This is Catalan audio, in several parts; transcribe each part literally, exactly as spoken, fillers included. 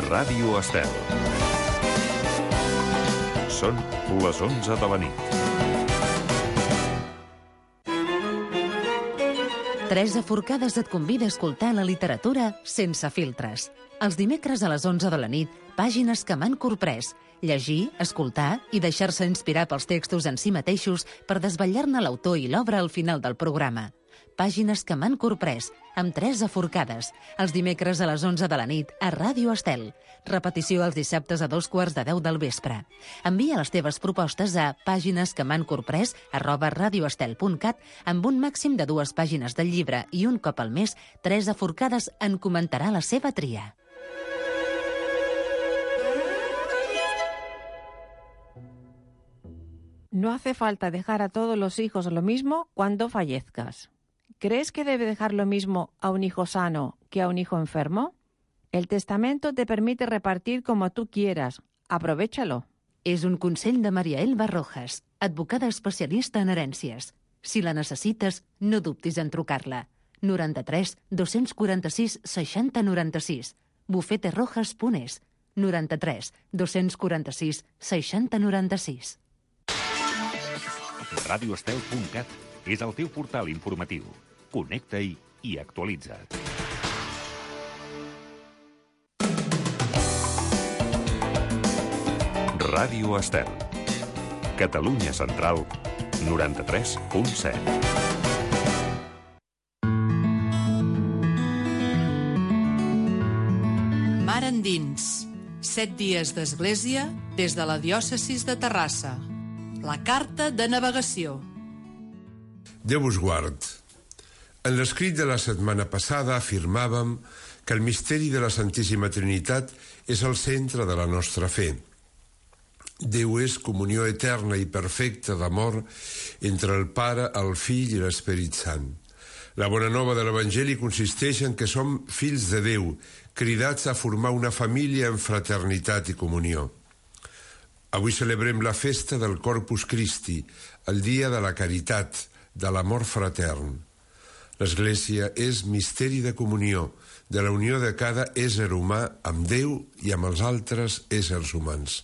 Ràdio Estel. Són les onze de la nit. Teresa Forcades et convida a escoltar la literatura sense filtres. Els dimecres a les onze de la nit, pàgines que m'han corprès. Llegir, escoltar i deixar-se inspirar pels textos en si mateixos per desvetllar-ne l'autor i l'obra al final del programa. Pàgines que m'han corprès, amb Teresa Forcades. Els dimecres a les onze de la nit, a Ràdio Estel. Repetició els dissabtes a dos quarts de deu del vespre. Envia les teves propostes a pàgines que m'han corprès arroba radioestel punt cat amb un màxim de dues pàgines del llibre i un cop al mes, Teresa Forcades en comentarà la seva tria. No hace falta dejar a todos los hijos lo mismo cuando fallezcas. ¿Crees que debe dejar lo mismo a un hijo sano que a un hijo enfermo? El testamento te permite repartir como tú quieras. Aprovéchalo. És un consell de Maria Elba Rojas, advocada especialista en herències. Si la necessites, no dubtis en trucar-la. noranta-tres dos-cents quaranta-sis seixanta noranta-sis. bufeterojas punt es. noranta-tres dos-cents quaranta-sis seixanta noranta-sis. radioestel punt cat és el teu portal informatiu. Connecta-hi i actualitza't. Ràdio Estel. Catalunya Central, noranta-tres punt set. Mar endins. Set dies d'església des de la diòcesis de Terrassa. La carta de navegació. Déu us guard. En l'escrit de la setmana passada afirmàvem que el misteri de la Santíssima Trinitat és el centre de la nostra fe. Déu és comunió eterna i perfecta d'amor entre el Pare, el Fill i l'Esperit Sant. La bona nova de l'Evangeli consisteix en que som fills de Déu, cridats a formar una família en fraternitat i comunió. Avui celebrem la festa del Corpus Christi, el dia de la caritat, de l'amor fratern. L'Església és misteri de comunió, de la unió de cada ésser humà amb Déu i amb els altres éssers humans.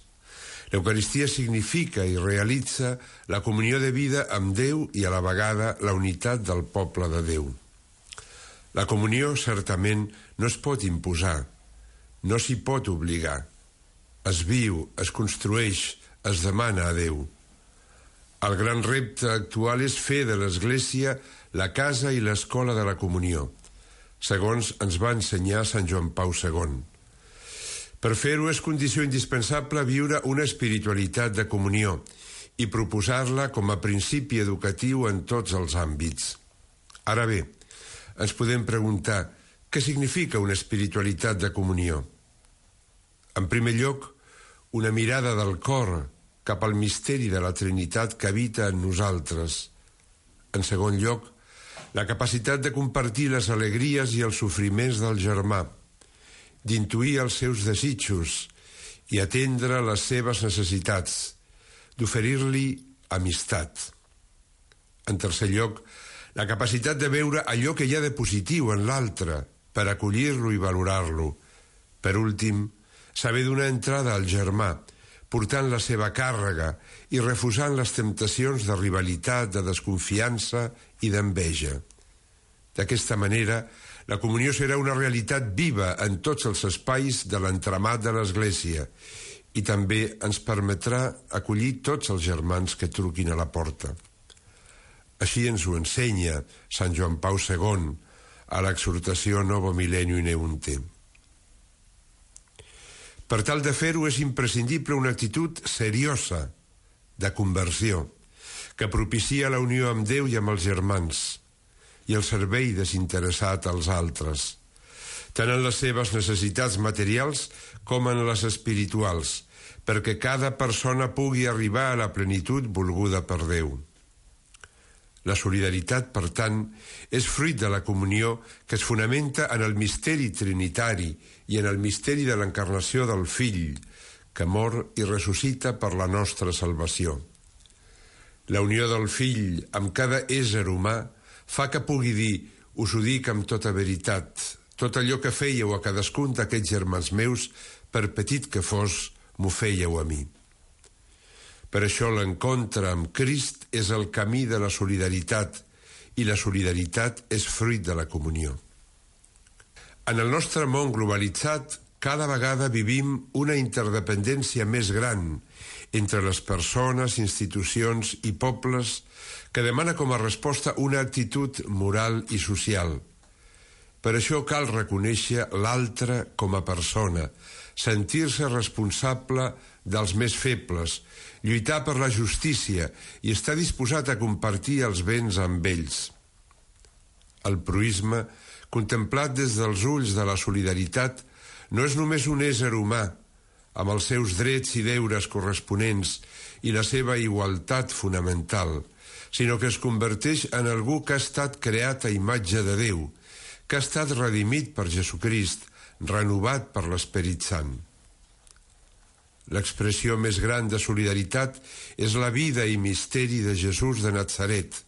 L'Eucaristia significa i realitza la comunió de vida amb Déu i a la vegada la unitat del poble de Déu. La comunió, certament, no es pot imposar, no s'hi pot obligar. Es viu, es construeix, es demana a Déu. El gran repte actual és fer de l'Església la casa i l'escola de la comunió, segons ens va ensenyar Sant Joan Pau segon. Per fer-ho és condició indispensable viure una espiritualitat de comunió i proposar-la com a principi educatiu en tots els àmbits. Ara bé, ens podem preguntar què significa una espiritualitat de comunió. En primer lloc, una mirada del cor cap al misteri de la Trinitat que habita en nosaltres. En segon lloc, la capacitat de compartir les alegries i els sofriments del germà, d'intuir els seus desitjos i atendre les seves necessitats, d'oferir-li amistat. En tercer lloc, la capacitat de veure allò que hi ha de positiu en l'altre per acollir-lo i valorar-lo. Per últim, saber donar entrada al germà, portant la seva càrrega i refusant les temptacions de rivalitat, de desconfiança i d'enveja. D'aquesta manera, la comunió serà una realitat viva en tots els espais de l'entramat de l'Església i també ens permetrà acollir tots els germans que truquin a la porta. Així ens ho ensenya Sant Joan Pau segon a l'exhortació Novo Millenium in Eunte. Per tal de fer-ho és imprescindible una actitud seriosa de conversió que propicia la unió amb Déu i amb els germans i el servei desinteressat als altres, tant en les seves necessitats materials com en les espirituals, perquè cada persona pugui arribar a la plenitud volguda per Déu. La solidaritat, per tant, és fruit de la comunió que es fonamenta en el misteri trinitari i en el misteri de l'encarnació del Fill, que mor i ressuscita per la nostra salvació. La unió del Fill amb cada ésser humà fa que pugui dir, us ho dic amb tota veritat, tot allò que fèieu a cadascun d'aquests germans meus per petit que fos, m'ho fèieu a mi. Per això l'encontre amb Crist és el camí de la solidaritat i la solidaritat és fruit de la comunió. En el nostre món globalitzat, cada vegada vivim una interdependència més gran entre les persones, institucions i pobles que demana com a resposta una actitud moral i social. Per això cal reconèixer l'altre com a persona, sentir-se responsable dels més febles, lluitar per la justícia i estar disposat a compartir els béns amb ells. El proïsme, contemplat des dels ulls de la solidaritat, no és només un ésser humà, amb els seus drets i deures corresponents i la seva igualtat fonamental, sinó que es converteix en algú que ha estat creat a imatge de Déu, que ha estat redimit per Jesucrist, renovat per l'Esperit Sant. L'expressió més gran de solidaritat és la vida i misteri de Jesús de Natzaret,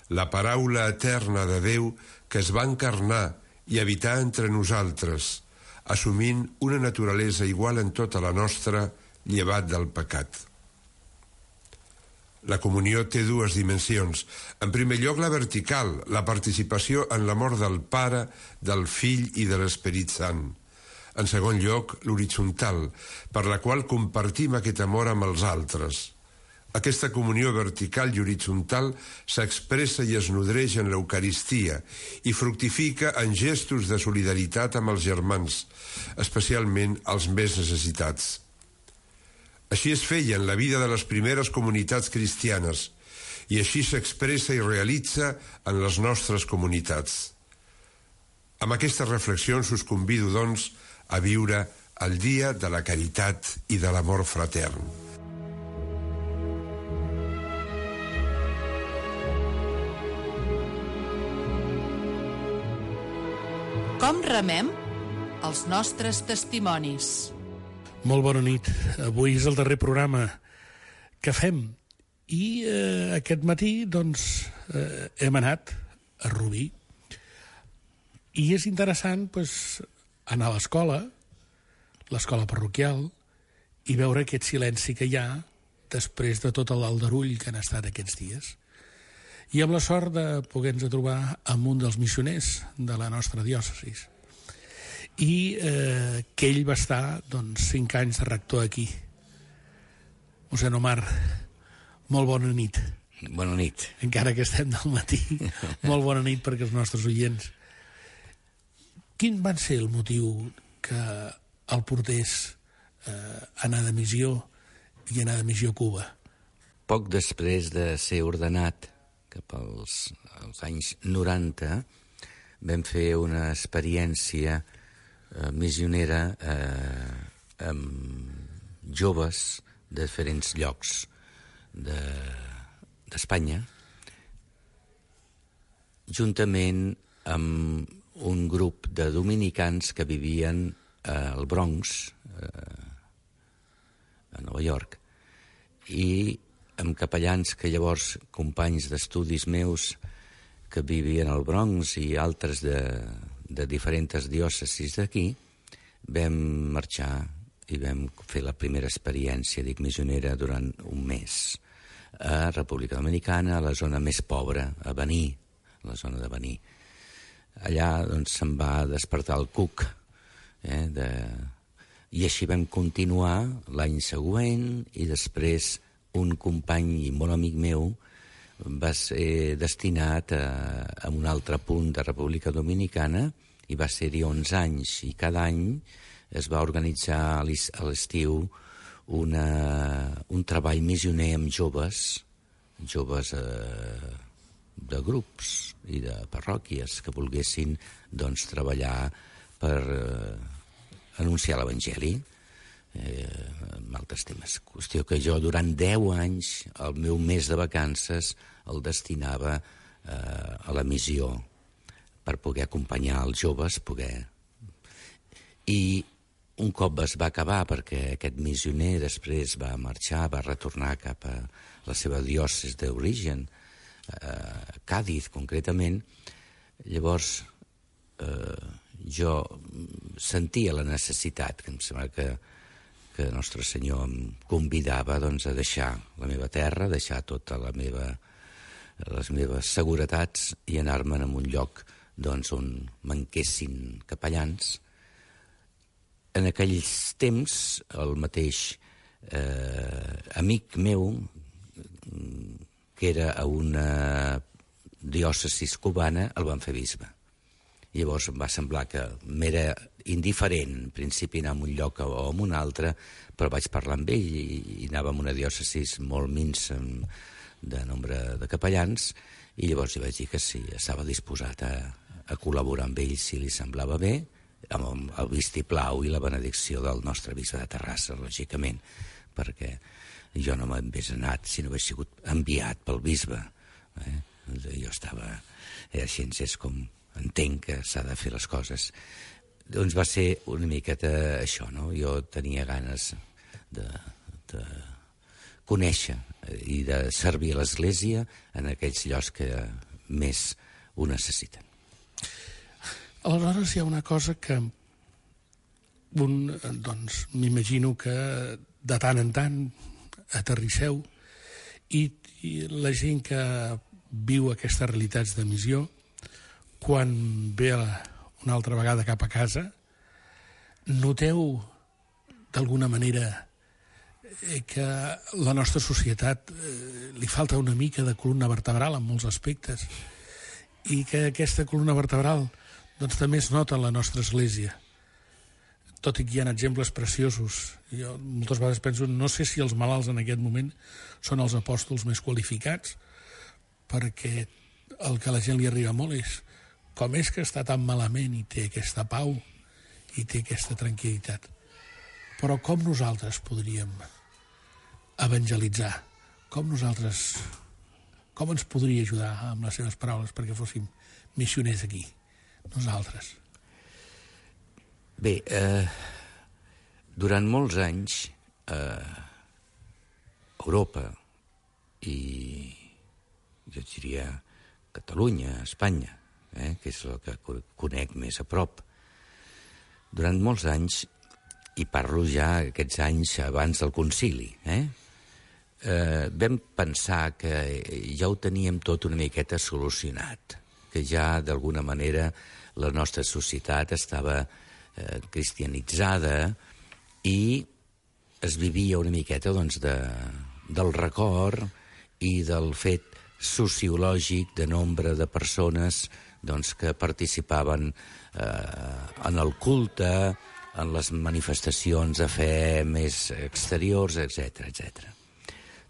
la paraula eterna de Déu que es va encarnar i habitar entre nosaltres, assumint una naturalesa igual en tota la nostra, llevat del pecat. La comunió té dues dimensions. En primer lloc, la vertical, la participació en l'amor del Pare, del Fill i de l'Esperit Sant. En segon lloc, l'horitzontal, per la qual compartim aquest amor amb els altres. Aquesta comunió vertical i horitzontal s'expressa i es nodreix en l'Eucaristia i fructifica en gestos de solidaritat amb els germans, especialment els més necessitats. Així es feia en la vida de les primeres comunitats cristianes i així s'expressa i realitza en les nostres comunitats. Amb aquestes reflexions us convido, doncs, a viure el dia de la caritat i de l'amor fratern. Com remem els nostres testimonis? Molt bona nit. Avui és el darrer programa que fem i eh, aquest matí doncs eh, hem anat a Rubí i és interessant pues, anar a l'escola, l'escola parroquial, i veure aquest silenci que hi ha després de tot l'aldarull que han estat aquests dies. I amb la sort de poder-nos trobar amb un dels missioners de la nostra diòcesis. I eh, que ell va estar doncs, cinc anys de rector aquí. Mossèn Omar, molt bona nit. Bona nit. Encara que estem del matí, molt bona nit perquè els nostres oients. Quin va ser el motiu que el portés eh, anar de missió i anar de missió a Cuba? Poc després de ser ordenat, cap als, als anys noranta, vam fer una experiència eh, missionera eh, amb joves de diferents llocs de, d'Espanya, juntament amb un grup de dominicans que vivien al Bronx, eh, a Nova York, i amb capellans que llavors, companys d'estudis meus que vivien al Bronx i altres de, de diferents diòcesis d'aquí, vam marxar i vam fer la primera experiència, dic, missionera durant un mes a República Dominicana, a la zona més pobra, a Baní, la zona de Baní. Allà doncs, se'n va despertar el cuc, eh, de... i així vam continuar l'any següent i després un company i molt amic meu va ser destinat a, a un altre punt de República Dominicana i va ser-hi onze anys i cada any es va organitzar a l'estiu una, un treball missioner amb joves, joves eh, de grups i de parròquies que volguessin doncs, treballar per eh, anunciar l'Evangeli. Eh, amb altres temes. Qüestió que jo durant deu anys el meu mes de vacances el destinava eh, a la missió per poder acompanyar els joves, poder... I un cop es va acabar, perquè aquest missioner després va marxar, va retornar cap a la seva diòcesi d'origen, eh, Càdiz concretament, llavors eh, jo sentia la necessitat, que em sembla que, que Nostre Senyor em convidava doncs, a deixar la meva terra, a deixar tota la meva, les meves seguretats i anar-me'n a un lloc doncs, on manquessin capellans. En aquells temps, el mateix eh, amic meu, que era a una diòcesis cubana, el van fer bisbe. Llavors em va semblar que m'era indiferent, en principi anar a un lloc o a un altre, però vaig parlar amb ell i, i anava a una diòcesis molt minsa de nombre de capellans, i llavors li vaig dir que sí, estava disposat a, a col·laborar amb ell si li semblava bé, amb el vistiplau i la benedicció del nostre bisbe de Terrassa, lògicament, perquè jo no m'hagués anat si no hagués sigut enviat pel bisbe. Eh? Jo estava... Era així, és com entenc que s'ha de fer les coses. Doncs va ser una miqueta això, no? Jo tenia ganes de, de conèixer i de servir a l'Església en aquells llocs que més ho necessiten. Aleshores hi ha una cosa que un, doncs, m'imagino que de tant en tant aterrisseu i, i la gent que viu aquestes realitats de missió, quan ve una altra vegada cap a casa, noteu d'alguna manera que la nostra societat li falta una mica de columna vertebral en molts aspectes i que aquesta columna vertebral doncs també es nota en la nostra església, tot i que hi ha exemples preciosos. Jo moltes vegades penso, no sé si els malalts en aquest moment són els apòstols més qualificats, perquè el que a la gent li arriba molt és com és que està tan malament i té aquesta pau i té aquesta tranquil·litat. Però com nosaltres podríem evangelitzar? Com nosaltres, com ens podria ajudar amb les seves paraules perquè fóssim missioners aquí? Nosaltres. Bé, eh, durant molts anys eh, Europa i jo diria Catalunya, Espanya, eh, que és el que conec més a prop, durant molts anys, i parlo ja aquests anys abans del concili, eh, eh, vam pensar que ja ho teníem tot una miqueta solucionat, que ja d'alguna manera la nostra societat estava eh, cristianitzada i es vivia una miqueta doncs, de, del record i del fet sociològic de nombre de persones doncs, que participaven eh, en el culte, en les manifestacions de fe més exteriors, etcètera, etcètera.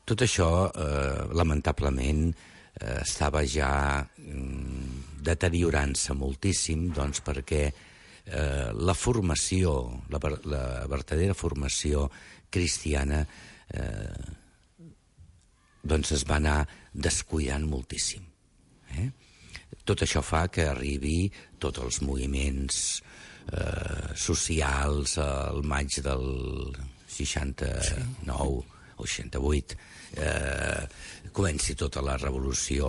Tot això, eh, lamentablement, eh, estava ja mm, deteriorant-se moltíssim, doncs, perquè eh, la formació, la, la verdadera formació cristiana eh, doncs es va anar descuidant moltíssim. Eh? Tot això fa que arribi tots els moviments eh, socials al maig del seixanta-nou o seixanta-vuit, eh, comenci tota la revolució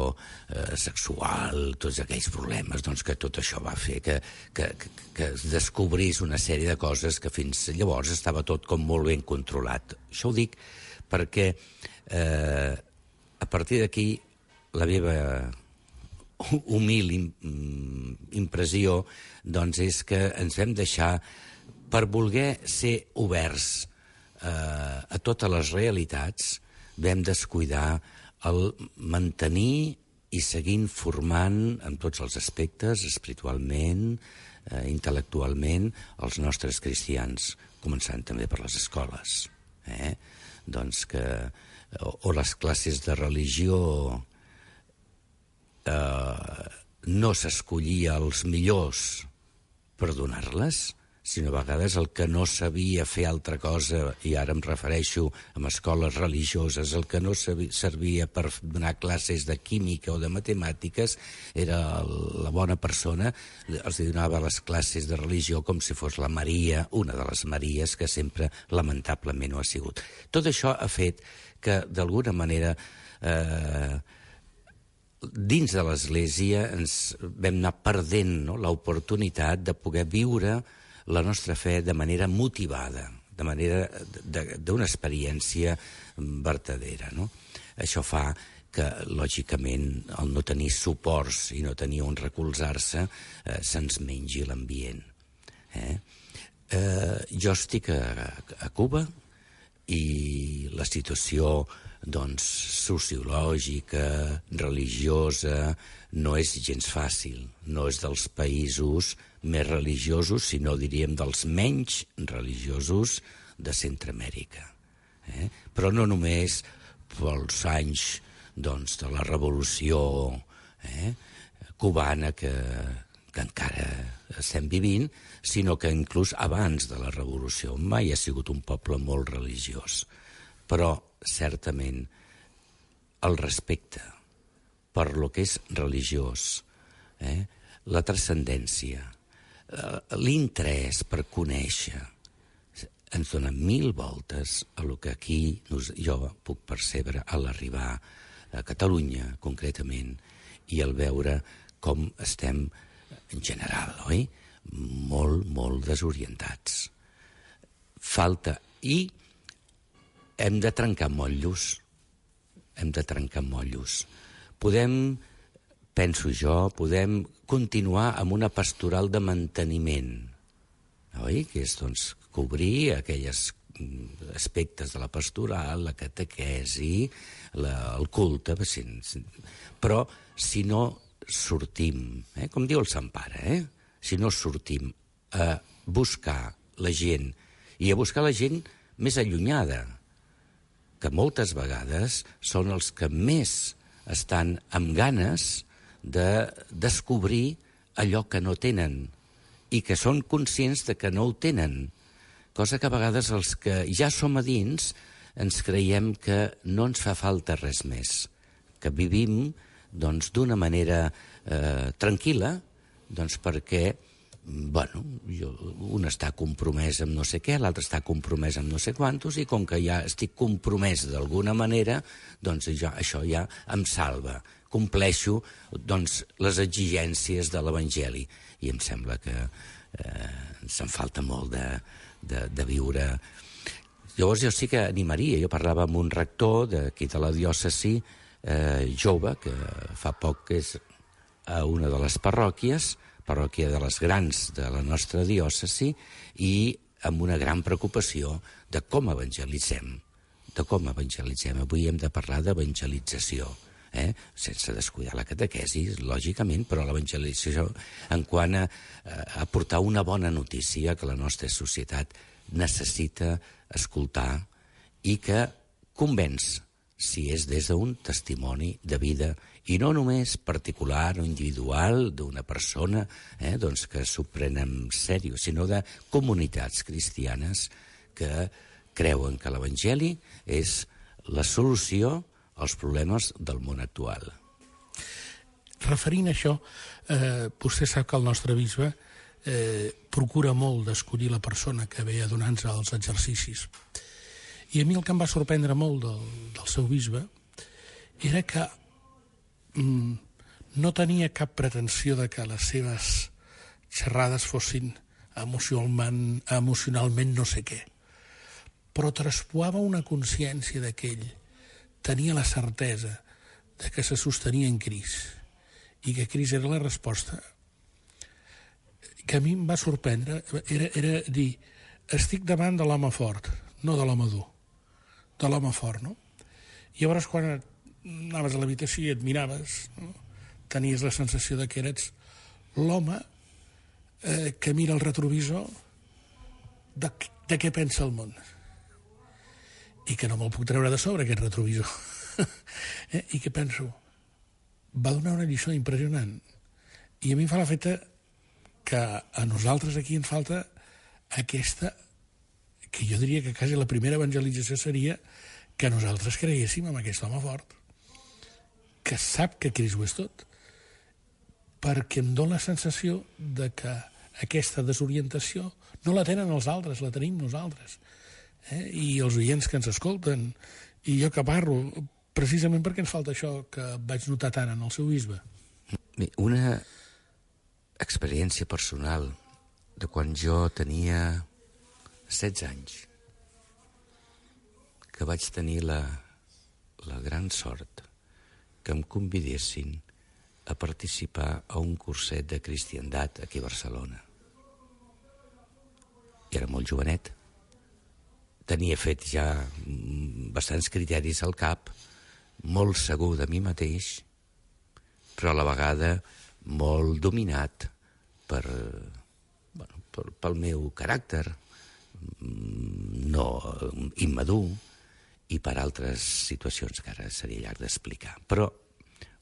eh, sexual, tots aquells problemes, doncs que tot això va fer que, que, que es descobrís una sèrie de coses que fins llavors estava tot com molt ben controlat. Això ho dic perquè eh, a partir d'aquí la meva humil impressió doncs és que ens vam deixar, per voler ser oberts eh, a totes les realitats, vam descuidar el mantenir i seguint formant en tots els aspectes, espiritualment, eh, intel·lectualment, els nostres cristians, començant també per les escoles. Eh? Doncs que, o, o les classes de religió eh, no s'escollia els millors per donar-les, sinó a vegades el que no sabia fer altra cosa, i ara em refereixo a escoles religioses, el que no servia per donar classes de química o de matemàtiques, era la bona persona, els donava les classes de religió com si fos la Maria, una de les Maries, que sempre lamentablement ho ha sigut. Tot això ha fet que, d'alguna manera, eh, dins de l'Església ens vam anar perdent, no?, l'oportunitat de poder viure la nostra fe de manera motivada, de manera d'una experiència vertadera, no? Això fa que, lògicament, el no tenir suports i no tenir on recolzar-se eh, se'ns mengi l'ambient. Eh? Eh, jo estic a, a Cuba i la situació, doncs, sociològica, religiosa, no és gens fàcil. No és dels països més religiosos, sinó, diríem, dels menys religiosos de Centroamèrica. Eh? Però no només pels anys, doncs, de la revolució eh, cubana que, que encara estem vivint, sinó que inclús abans de la revolució mai ha sigut un poble molt religiós. Però, certament, el respecte per lo que és religiós, eh, la transcendència, l'interès per conèixer, ens dona mil voltes a lo que aquí jo puc percebre a l'arribar a Catalunya, concretament, i al veure com estem, en general, oi?, molt, molt desorientats. Falta, i hem de trencar motllos, hem de trencar motllos. Podem, penso jo, podem continuar amb una pastoral de manteniment, oi?, que és, doncs, cobrir aquells aspectes de la pastoral, la catequesi, la, el culte, però si no sortim, eh, com diu el Sant Pare, eh, si no sortim a buscar la gent, i a buscar la gent més allunyada, que moltes vegades són els que més estan amb ganes de descobrir allò que no tenen i que són conscients de que no ho tenen, cosa que a vegades els que ja som a dins ens creiem que no ens fa falta res més, que vivim, doncs, d'una manera eh, tranquil·la, doncs perquè, bueno, jo, un està compromès amb no sé què, l'altre està compromès amb no sé quantos, i com que ja estic compromès d'alguna manera, doncs jo, això ja em salva. Compleixo, doncs, les exigències de l'Evangeli. I em sembla que eh, se'n falta molt de, de, de viure. Llavors jo sí que animaria, jo parlava amb un rector d'aquí de la diòcesi, eh, jove, que fa poc que és a una de les parròquies, parròquia de les grans de la nostra diòcesi, i amb una gran preocupació de com evangelitzem, de com evangelitzem. Avui hem de parlar d'evangelització, eh? sense descuidar la catequesi, lògicament, però l'evangelització en quant a, a portar una bona notícia que la nostra societat necessita escoltar i que convenç, si és des d'un testimoni de vida, i no només particular o individual d'una persona eh, doncs que s'ho pren en sèrio, sinó de comunitats cristianes que creuen que l'Evangeli és la solució als problemes del món actual. Referint a això, eh, vostè sap que el nostre bisbe eh, procura molt d'escollir la persona que ve a donar-nos els exercicis. I a mi el que em va sorprendre molt del, del seu bisbe era que mm, no tenia cap pretensió de que les seves xerrades fossin emocionalment, emocionalment no sé què, però traspuava una consciència de que ell tenia la certesa de que se sostenia en Crist i que Crist era la resposta. Que a mi em va sorprendre era, era dir, estic davant de l'home fort, no de l'home dur, de l'home fort, no? I llavors quan anaves a l'habitació i et miraves, no? Tenies la sensació de que eres l'home eh, que mira el retrovisor de, de què pensa el món. I que no me'l puc treure de sobre, aquest retrovisor. eh? I que penso, va donar una lliçó impressionant. I a mi em fa l'efecte que a nosaltres aquí ens falta aquesta, que jo diria que quasi la primera evangelització seria que nosaltres creguéssim en aquest home fort, que sap que Crist ho és tot, perquè em dóna la sensació de que aquesta desorientació no la tenen els altres, la tenim nosaltres. Eh? I els oients que ens escolten, i jo que parlo, precisament perquè ens falta això que vaig notar tant en el seu bisbe. Una experiència personal de quan jo tenia setze anys, que vaig tenir la, la gran sort que em convidessin a participar a un curset de cristiandat aquí a Barcelona. I era molt jovenet. Tenia fet ja bastants criteris al cap, molt segur de mi mateix, però a la vegada molt dominat per, bueno, per, pel meu caràcter, no immadur, i per altres situacions que ara seria llarg d'explicar. Però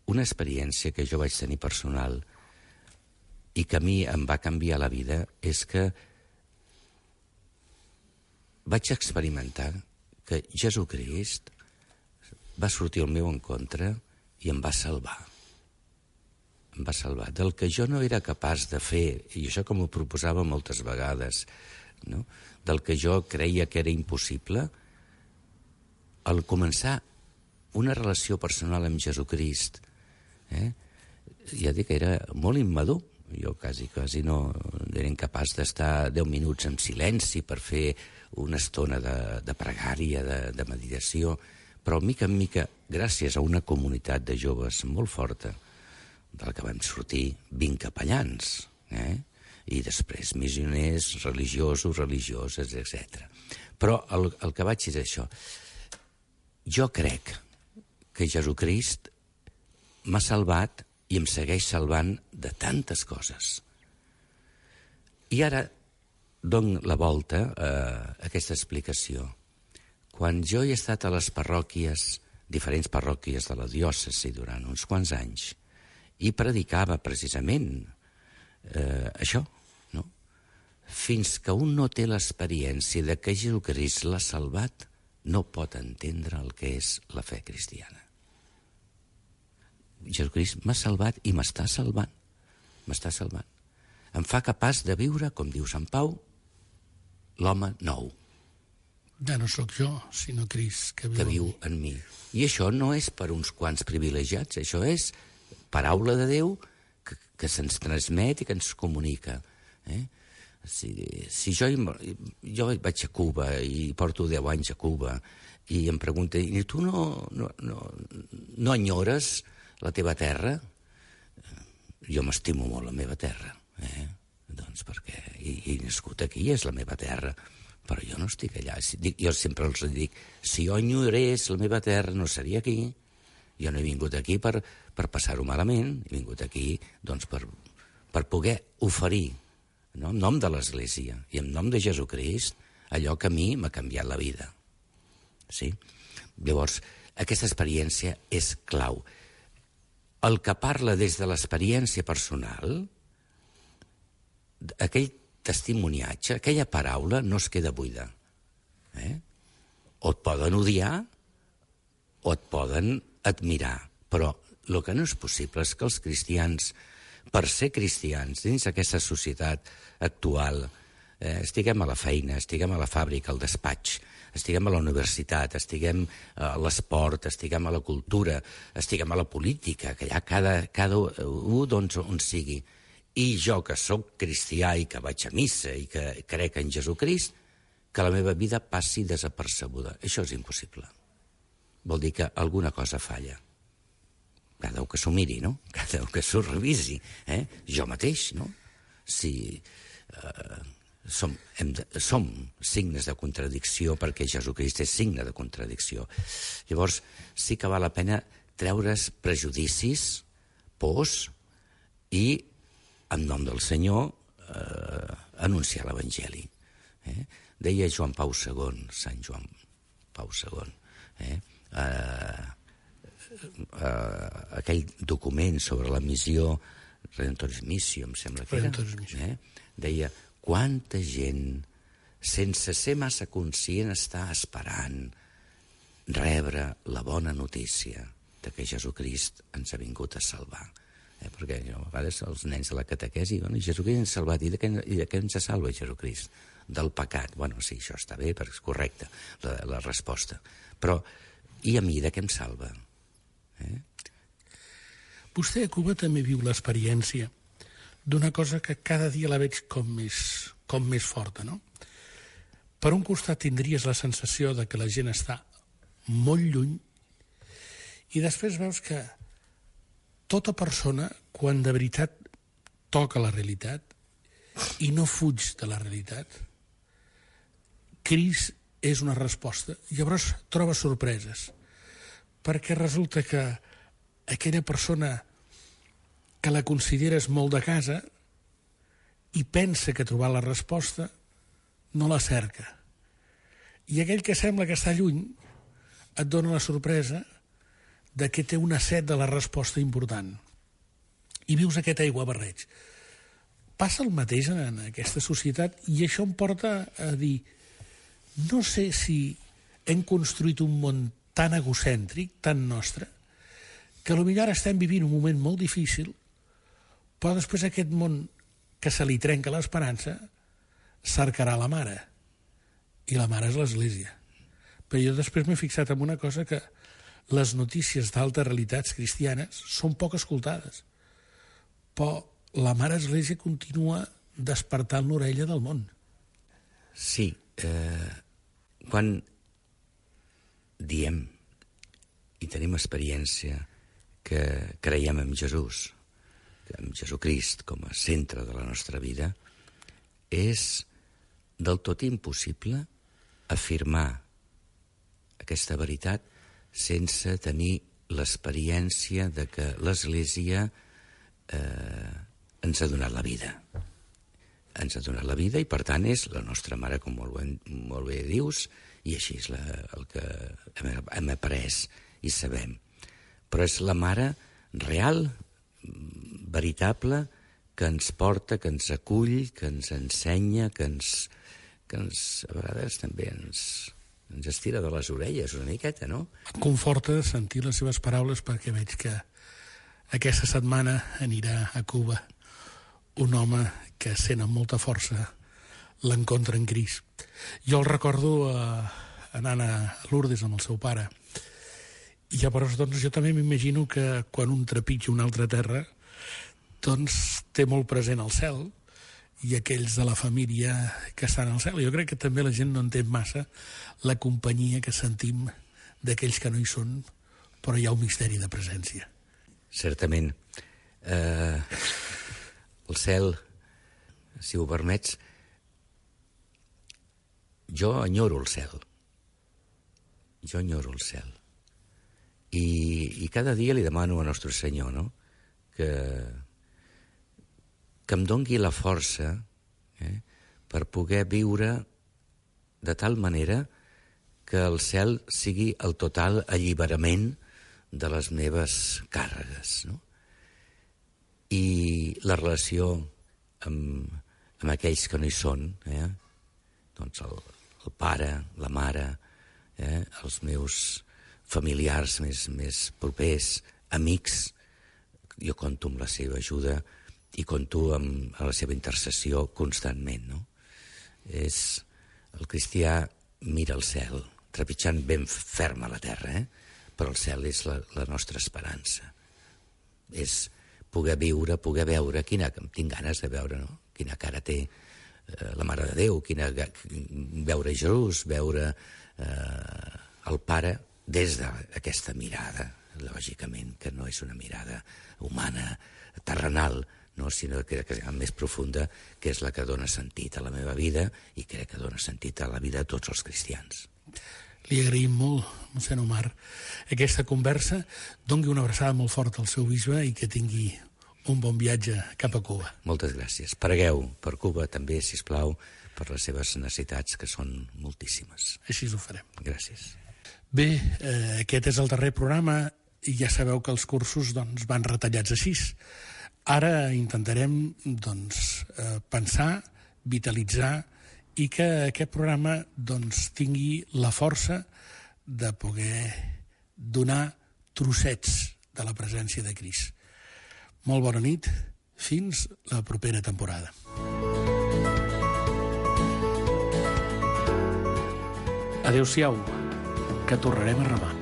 una experiència que jo vaig tenir personal i que a mi em va canviar la vida és que vaig experimentar que Jesucrist va sortir al meu encontre i em va salvar. Em va salvar del que jo no era capaç de fer, i això com ho proposava moltes vegades, no? Del que jo creia que era impossible, al començar una relació personal amb Jesucrist, eh? ja dic que era molt immadur. Jo quasi, quasi no era incapaç d'estar deu minuts en silenci per fer una estona de, de pregària, de, de meditació, però mica en mica, gràcies a una comunitat de joves molt forta, del que vam sortir vint capellans, eh? i després missioners religiosos, religioses, etcètera. Però el, el que vaig és això. Jo crec que Jesucrist m'ha salvat i em segueix salvant de tantes coses. I ara dono la volta a aquesta explicació. Quan jo he estat a les parròquies, diferents parròquies de la diòcesi durant uns quants anys, i predicava precisament eh, això, no? Fins que un no té l'experiència de que Jesucrist l'ha salvat, no pot entendre el que és la fe cristiana. Jesucrist m'ha salvat i m'està salvant. M'està salvant. Em fa capaç de viure, com diu Sant Pau, l'home nou. Ja no sóc jo, sinó Crist, que viu, que viu en mi. I això no és per uns quants privilegiats, això és paraula de Déu que, que se'ns transmet i que ens comunica. Eh? Si, si jo, jo vaig a Cuba i porto deu anys a Cuba i em pregunta, i tu no, no, no, no enyores la teva terra? Jo m'estimo molt la meva terra, eh? Doncs perquè he, he nascut aquí, és la meva terra, però jo no estic allà. Jo sempre els dic, si jo enyorés la meva terra no seria aquí. Jo no he vingut aquí per, per passar-ho malament, he vingut aquí doncs, per, per poder oferir, no? En nom de l'Església i en nom de Jesucrist, allò que a mi m'ha canviat la vida. Sí? Llavors, aquesta experiència és clau. El que parla des de l'experiència personal, aquell testimoniatge, aquella paraula no es queda buida. Eh? O et poden odiar o et poden admirar, però el que no és possible és que els cristians, per ser cristians dins aquesta societat actual, eh, estiguem a la feina, estiguem a la fàbrica, al despatx, estiguem a la universitat, estiguem a l'esport, estiguem a la cultura, estiguem a la política, que allà cada, cada un doncs, on sigui. I jo, que sóc cristià i que vaig a missa i que crec en Jesucrist, que la meva vida passi desapercebuda. Això és impossible. Vol dir que alguna cosa falla. Cada un que s'ho miri, no? Cada un que s'ho revisi. Eh? Jo mateix, no? Si... Eh, Som, hem de, som signes de contradicció perquè Jesucrist és signe de contradicció. Llavors, sí que val la pena treure's prejudicis, pors i, en nom del Senyor, eh, anunciar l'Evangeli. Eh? Deia Joan Pau segon, Sant Joan Pau segon, eh? Eh, eh, aquell document sobre la missió Redemptoris Missio, em sembla que era, eh? Deia, quanta gent, sense ser massa conscient, està esperant rebre la bona notícia de que Jesucrist ens ha vingut a salvar. Eh? Perquè a vegades els nens de la catequesi diuen, Jesucrist ens ha salvat, i de què, i de què ens salva Jesucrist? Del pecat. Bueno, sí, això està bé, perquè és correcte, la, la resposta. Però, i a mi, de què em salva? Eh? Vostè a Cuba també viu l'experiència d'una cosa que cada dia la veig com més, com més forta, no? Per un costat tindries la sensació de que la gent està molt lluny i després veus que tota persona, quan de veritat toca la realitat i no fuig de la realitat, Crist és una resposta. Llavors trobes sorpreses, perquè resulta que aquella persona que la consideres molt de casa i pensa que ha trobat la resposta, no la cerca. I aquell que sembla que està lluny et dona la sorpresa de que té una set de la resposta important. I vius aquest aiguabarreig. Passa el mateix en aquesta societat i això em porta a dir, no sé si hem construït un món tan egocèntric, tan nostre, que potser ara estem vivint un moment molt difícil, però després aquest món que se li trenca l'esperança cercarà la mare. I la mare és l'Església. Però jo després m'he fixat en una cosa, que les notícies d'altes realitats cristianes són poc escoltades. Però la mare Església continua despertant l'orella del món. Sí. Eh, quan diem i tenim experiència que creiem en Jesús, en Jesucrist com a centre de la nostra vida, és del tot impossible afirmar aquesta veritat sense tenir l'experiència de que l'Església eh, ens ha donat la vida. Ens ha donat la vida i, per tant, és la nostra mare, com molt bé, molt bé dius, i així és la, el que hem, hem après i sabem. Però és la mare real, veritable, que ens porta, que ens acull, que ens ensenya, que ens, que ens a vegades també ens, ens estira de les orelles una miqueta, no? Em conforta sentir les seves paraules, perquè veig que aquesta setmana anirà a Cuba un home que sent amb molta força l'encontre en Crist. Jo el recordo eh, anant a Lourdes amb el seu pare, i llavors doncs, jo també m'imagino que quan un trepitja una altra terra doncs té molt present el cel i aquells de la família que estan al cel. Jo crec que també la gent no entén massa la companyia que sentim d'aquells que no hi són, però hi ha un misteri de presència. Certament. Eh, el cel, si ho permets, jo enyoro el cel. Jo enyoro el cel. I, i cada dia li demano a Nostre Senyor, no?, que, que em dongui la força eh, per poder viure de tal manera que el cel sigui el total alliberament de les meves càrregues, no? I la relació amb, amb aquells que no hi són, eh? doncs el, el pare, la mare, eh? els meus familiars més, més propers, amics, jo compto amb la seva ajuda i compto amb, amb la seva intercessió constantment, no? És, el cristià mira el cel, trepitjant ben ferm a la terra, eh? Però el cel és la, la nostra esperança. És poder viure, poder veure, quina, tinc ganes de veure, no?, quina cara té eh, la Mare de Déu, quina, veure Jesús, veure eh, el Pare des d'aquesta mirada, lògicament, que no és una mirada humana, terrenal, no, sinó que és més profunda, que és la que dona sentit a la meva vida i crec que dona sentit a la vida de tots els cristians. Li agraïm molt, mossèn Omar, aquesta conversa. Dongui una abraçada molt forta al seu bisbe i que tingui un bon viatge cap a Cuba. Moltes gràcies. Pregueu per Cuba també, sisplau, per les seves necessitats, que són moltíssimes. Així ho farem. Gràcies. Bé, eh, aquest és el darrer programa i ja sabeu que els cursos doncs, van retallats així. Ara intentarem doncs, eh, pensar, vitalitzar i que aquest programa doncs, tingui la força de poder donar trossets de la presència de Crist. Molt bona nit, fins la propera temporada. Adéu-siau, que tornarem a remar.